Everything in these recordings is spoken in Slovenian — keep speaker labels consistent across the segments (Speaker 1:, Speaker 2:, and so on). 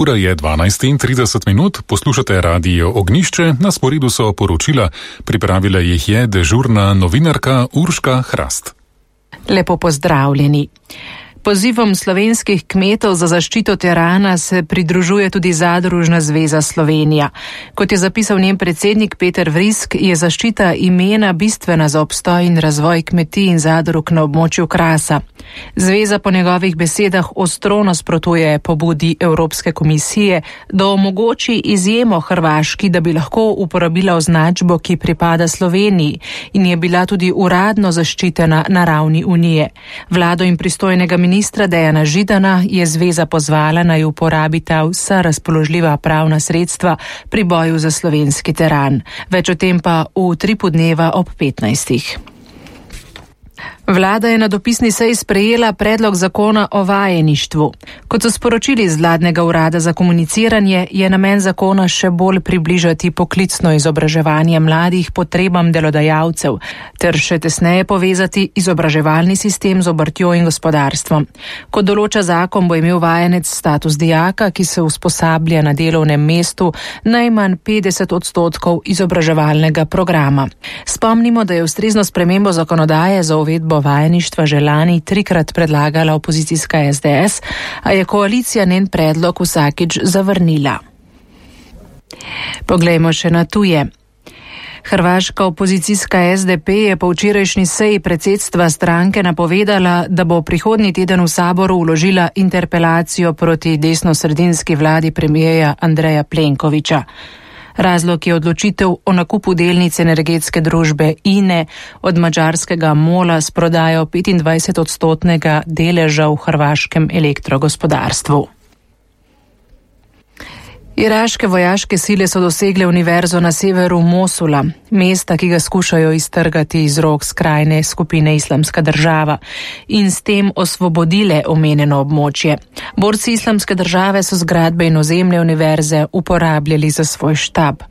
Speaker 1: Ura je 12:30, poslušate Radio Ognjišče, na sporedu so poročila, pripravila jih je dežurna novinarka Urška Hrast.
Speaker 2: Lepo pozdravljeni. Pozivom slovenskih kmetov za zaščito terana se pridružuje tudi Zadružna zveza Slovenija. Kot je zapisal njen predsednik Peter Vrisk, je zaščita imena bistvena za obstoj in razvoj kmetij in zadrug na območju Krasa. Zveza po njegovih besedah ostro nasprotuje pobudi Evropske komisije, da omogoči izjemo Hrvaški, da bi lahko uporabila označbo, ki pripada Sloveniji in je bila tudi uradno zaščitena na ravni Unije. Vlado in pristojnega ministra Dejana Židana je zveza pozvala, naj uporabita vsa razpoložljiva pravna sredstva pri boju za slovenski teran. Več o tem pa v Tripu dneva ob 15. Vlada je na dopisni seji sprejela predlog zakona o vajeništvu. Kot so sporočili iz vladnega urada za komuniciranje, je namen zakona še bolj približati poklicno izobraževanje mladih potrebam delodajalcev ter še tesneje povezati izobraževalni sistem z obrtjo in gospodarstvom. Kot določa zakon, bo imel vajenec status dijaka, ki se usposablja na delovnem mestu najmanj 50% izobraževalnega programa. Spomnimo, da je ustrezno spremembo zakonodaje za uvedbo vajeništva že lani 3-krat predlagala opozicijska SDS, a je koalicija njen predlog vsakič zavrnila. Poglejmo še na tuje. Hrvaška opozicijska SDP je po včerajšnji seji predsedstva stranke napovedala, da bo prihodnji teden v saboru vložila interpelacijo proti desnosredinski vladi premijeja Andreja Plenkovića. Razlog je odločitev o nakupu delnic energetske družbe INE od madžarskega MOL-a s prodajo 25% deleža v hrvaškem elektrogospodarstvu. Iraške vojaške sile so dosegle univerzo na severu Mosula, mesta, ki ga skušajo iztrgati iz rok skrajne skupine Islamska država, in s tem osvobodile omenjeno območje. Borci Islamske države so zgradbe in ozemlje univerze uporabljali za svoj štab.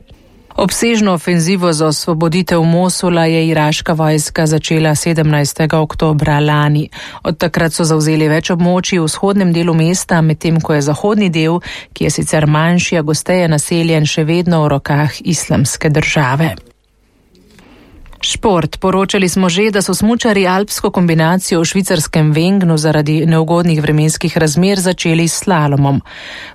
Speaker 2: Obsežno ofenzivo za osvoboditev Mosula je iraška vojska začela 17. oktobra lani. Od takrat so zavzeli več območij v vzhodnem delu mesta, medtem ko je zahodni del, ki je sicer manjši, a gosteje naseljen, še vedno v rokah Islamske države. Šport. Poročali smo že, da so smučarji alpsko kombinacijo v švicarskem Wengnu zaradi neugodnih vremenskih razmer začeli s slalomom.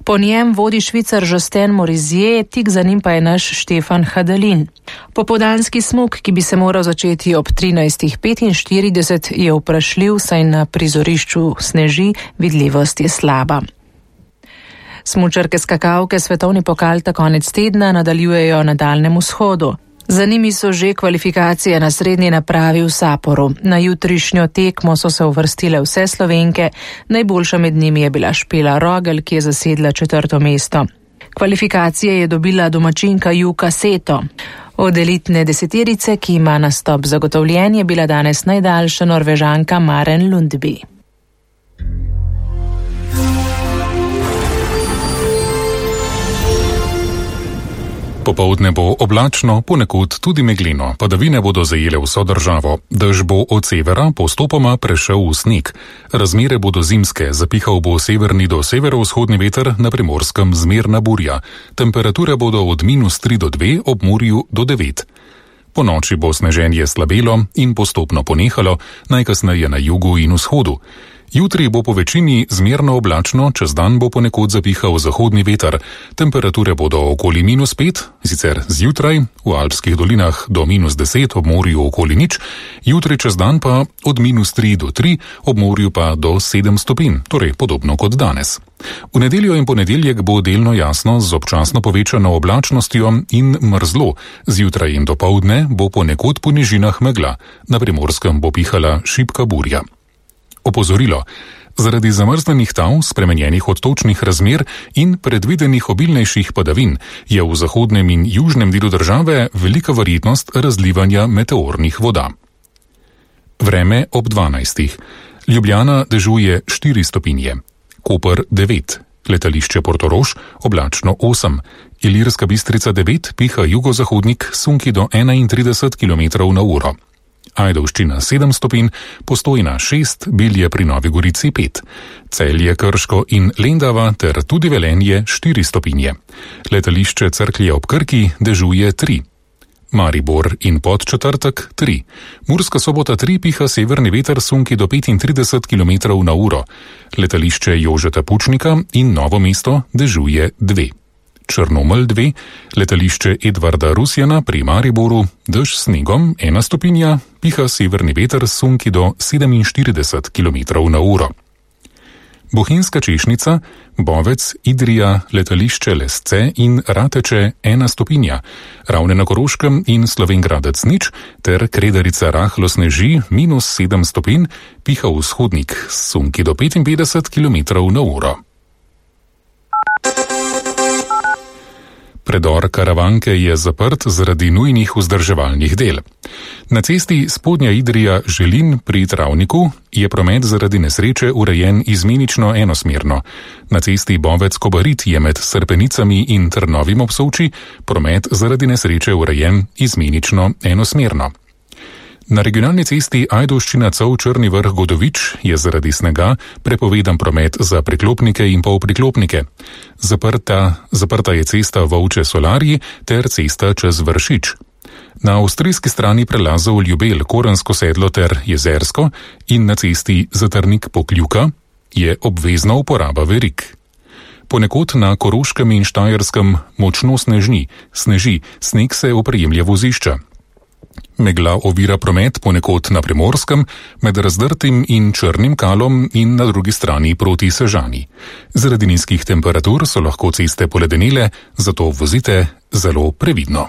Speaker 2: Po njem vodi Švicar Josten Morizier, tik za njim pa je naš Štefan Hadalin. Popoldanski smuk, ki bi se moral začeti ob 13:45, je vprašljiv, saj na prizorišču sneži, vidljivost je slaba. Smučarke skakalke svetovni pokal ta konec tedna nadaljujejo na Daljnem vzhodu. Za njimi so že kvalifikacije na srednji napravi v Saporu. Na jutrišnjo tekmo so se uvrstile vse Slovenke, najboljša med njimi je bila Špela Rogel, ki je zasedla 4. mesto. Kvalifikacije je dobila domačinka Juka Seto. Od elitne deseterice, ki ima nastop zagotovljen, je bila danes najdaljša Norvežanka Maren Lundby.
Speaker 1: Popoldne bo oblačno, ponekod tudi megleno, padavine bodo zajele vso državo. Dež bo od severa postopoma prešel v sneg. Razmere bodo zimske, zapihal bo severni do severovzhodni veter, na Primorskem zmerna burja. Temperature bodo od -3 do 2, ob Murju do 9. Po noči bo sneženje slabelo in postopno ponehalo, najkasneje na jugu in vzhodu. Jutri bo po večini zmerno oblačno, čez dan bo ponekod zapihal zahodni veter. Temperature bodo okoli -5, sicer zjutraj v alpskih dolinah do -10, ob morju okoli 0, jutri čez dan pa od -3 do 3, ob morju pa do 7 stopinj, torej podobno kot danes. V nedeljo in ponedeljek bo delno jasno z občasno povečano oblačnostjo in mrzlo. Zjutraj in dopoldne bo ponekod po nižinah megla, na Primorskem bo pihala šibka burja. Opozorilo. Zaradi zamrznenih tal, spremenjenih odtočnih razmer in predvidenih obilnejših padavin je v zahodnem in južnem delu države velika verjetnost razlivanja meteornih voda. Vreme ob 12. Ljubljana dežuje 4 stopinje, Koper 9, letališče Portorož oblačno 8, Ilirska Bistrica 9, piha jugozahodnik, sunki do 31 km/h. Ajdovščina 7 stopinj, Postojna 6, Bilje pri Novi Gorici 5, Celje, Krško in Lendava ter tudi Velenje 4 stopinje. Letališče Cerklje ob Krki dežuje 3. Maribor in Podčetrtek 3. Murska Sobota 3, piha severni veter sunki do 35 km/h. Letališče Jožeta Pučnika in Novo mesto dežuje 2. Črnomelj 2, letališče Edvarda Rusjana pri Mariboru, dež s snegom 1 stopinja, piha severni veter sunki do 47 km/h. Bohinjska Češnica, Bovec, Idrija, letališče Lesce in Rateče 1 stopinja, Ravne na Koroškem in Slovenj Gradec 0 ter Kredarica rahlo sneži -7 stopinj, piha vzhodnik sunki do 55 km/h. Predor Karavanke je zaprt zaradi nujnih vzdrževalnih del. Na cesti Spodnja Idrija-Želin pri Travniku je promet zaradi nesreče urejen izmenično enosmerno. Na cesti Bovec-Kobarid je med Srpenicami in Trnovim ob Solči promet zaradi nesreče urejen izmenično enosmerno. Na regionalni cesti Ajdovščina-Cov-Črni Vrh-Godovič je zaradi snega prepovedan promet za priklopnike in polpriklopnike. Zaprta je cesta Volče-Solarji ter cesta čez Vršič. Na avstrijski strani prelazov Ljubelj, Korensko sedlo ter Jezersko in na cesti Zatrnik-Pokljuka je obvezna uporaba verig. Ponekod na Koroškem in Štajerskem močno sneži, sneg se oprijemlja vozišča. Megla ovira promet ponekod na Primorskem med Razdrtim in Črnim Kalom in na drugi strani proti Sežani. Zaradi nizkih temperatur so lahko ceste poledenele, zato vozite zelo previdno.